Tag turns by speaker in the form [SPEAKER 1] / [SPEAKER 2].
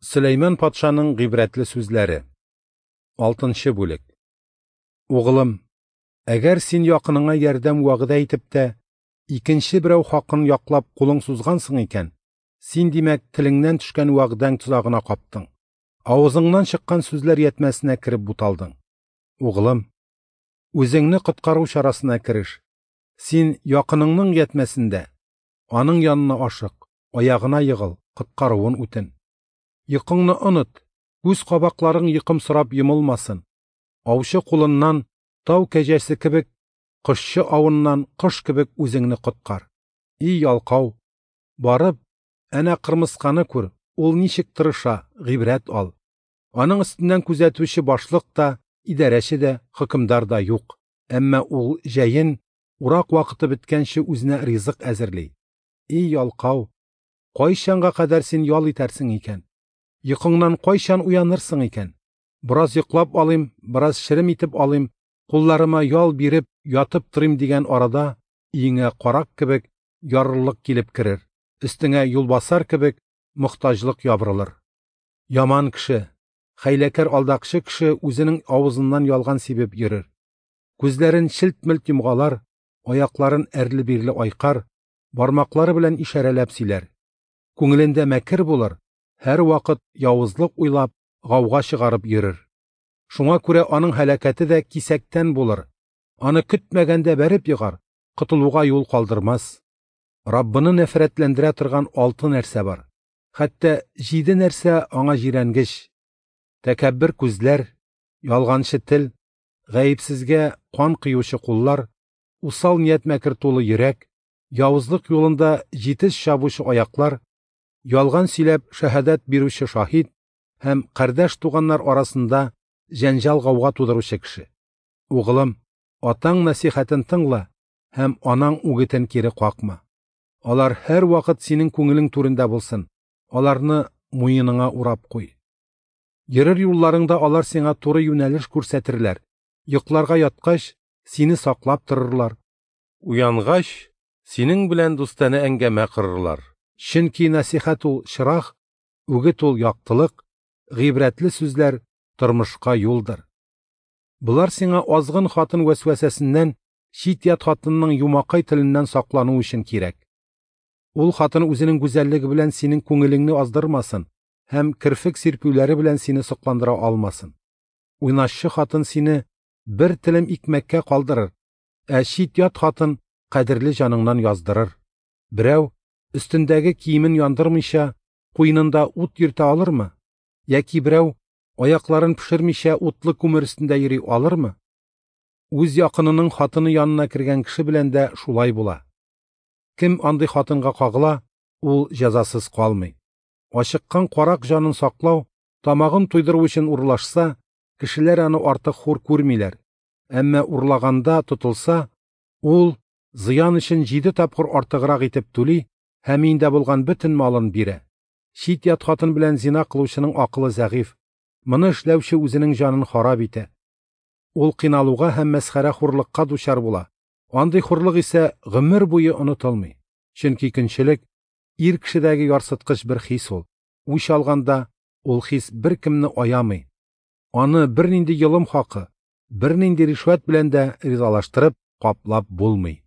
[SPEAKER 1] Сөләйман патшаның гыйбрәтле сүзләре. 6 бүлек. Угылым, әгәр син якыныңа ярдәм вәгъдә итеп тә, икенче берәү хакын яклап кулың сузгансың икән, син, димәк, телеңнән төшкән вәгъдәң тозагына каптың. Авызыңнан чыккан сүзләр ятмәсенә кереп буталдың. Угылым, үзеңне коткару чарасына кереш. Син якыныңның ятмәсендә, аның янына ашык, аягына егыл, коткаруын үтен. Йокыңны оныт, күз кабакларың йокымсырап йомылмасын. Аучы кулыннан тау кәҗәсе кебек, кошчы авыннан кош кебек үзеңне коткар. И ялкау, барып, әнә кырмысканы күр, ул ничек тырыша, гыйбрәт ал. Аның өстеннән күзәтүче башлык та, идарәче дә, хөкемдар да юк. Әмма ул җәен, урак вакыты беткәнче үзенә ризык әзерли. И ялкау, кайчанга кадәр син ял итәрсең икән? Йокыңнан кайчан уянырсың икән? Бераз йоклап алыйм, бераз шерем итеп алыйм, кулларыма ял биреп, ятып торыйм дигән арада өеңә карак кебек ярлылык килеп керер, өстеңә юлбасар кебек мохтаҗлык ябырылыр. Яман кеше, хәйләкәр алдакчы кеше үзенең авызыннан ялган сибеп йөрер. Күзләрен челт-мелт йомгалар, аякларын әрле-бирле айкар, бармаклары белән ишарәләп сөйләр. Күңелендә мәкер булыр, һәрвакыт явызлык уйлап, гауга чыгарып йөрер. Шуңа күрә аның һәлакәте дә кисәктән булыр. Аны көтмәгәндә бәреп егар, котылуга юл калдырмас. Раббыны нәфрәтләндерә торган 6 нәрсә бар. Хәтта 7 нәрсә аңа җирәнгеч. Тәкәббер күзләр, ялганчы тел, гаепсезгә кан кыючы куллар, усал ният мәкер тулы йөрәк, явызлык юлында җитез чабучы аяклар, ялган сөйләп шәһадәт бирүче шаһит һәм кардәш туганнар арасында җәнҗал гауга тудыручы кеше. Угылым, атаң нәсихәтен тыңла һәм анаң үгетен кире какма. Алар һәр вакыт синең күңелең түрендә булсын. Аларны муеныңа урап куй. Йөрер юлларыңда алар сиңа туры юнәлеш күрсәтерләр. Йокларга яткач, сине саклап торырлар.
[SPEAKER 2] Уянгач, синең белән дустанә әңгәмә корырлар.
[SPEAKER 1] Чөнки нәсихәт ул чырах, үгет ул яктылык, гыйбрәтле сүзләр тормышка юлдыр. Болар сиңа азгын хатын вәсвәсәсеннән, чит-ят хатынның юмакай теленнән саклану өчен кирәк. Ул хатын үзенең гүзәллеге белән синең күңелеңне аздырмасын һәм керфек сирпүләре белән сине сокландыра алмасын. Уйнашчы хатын сине бер телем икмәккә калдырыр, ә чит-ят хатын кадерле җаныңнан яздырыр. Берәү өстендәге киемен яндырмыйча, куенында ут йөртә алырмы? Яки берәү аякларын пешермичә утлы күмер өстендә йөри алырмы? Үз якынының хатыны янына кергән кеше белән дә шулай була. Кем андый хатынга кагыла, ул җәзасыз калмый. Ачыккан карак җанын саклау, тамагын туйдыру өчен урлашса, кешеләр аны артык хур күрмиләр. Әмма урлаганда тотылса, ул зыян өчен 7 тапкыр артыграк итеп түли һәм инде булган бөтен малын бирә. Чит-ят хатын белән зина кылучының акылы зәгыйфь. Моны эшләүче үзенең җанын харап итә. Ул кыйналуга һәм мәсхәрә хурлыкка дучар була. Андый хурлык исә гомер буе онытылмый. Чөнки көнчелек ир кешедәге ярсыткыч бер хис ул. Үч алганда ул хис беркемне аямый. Аны бернинди йолым хакы, бернинди ришвәт белән дә ризалаштырып, каплап булмый.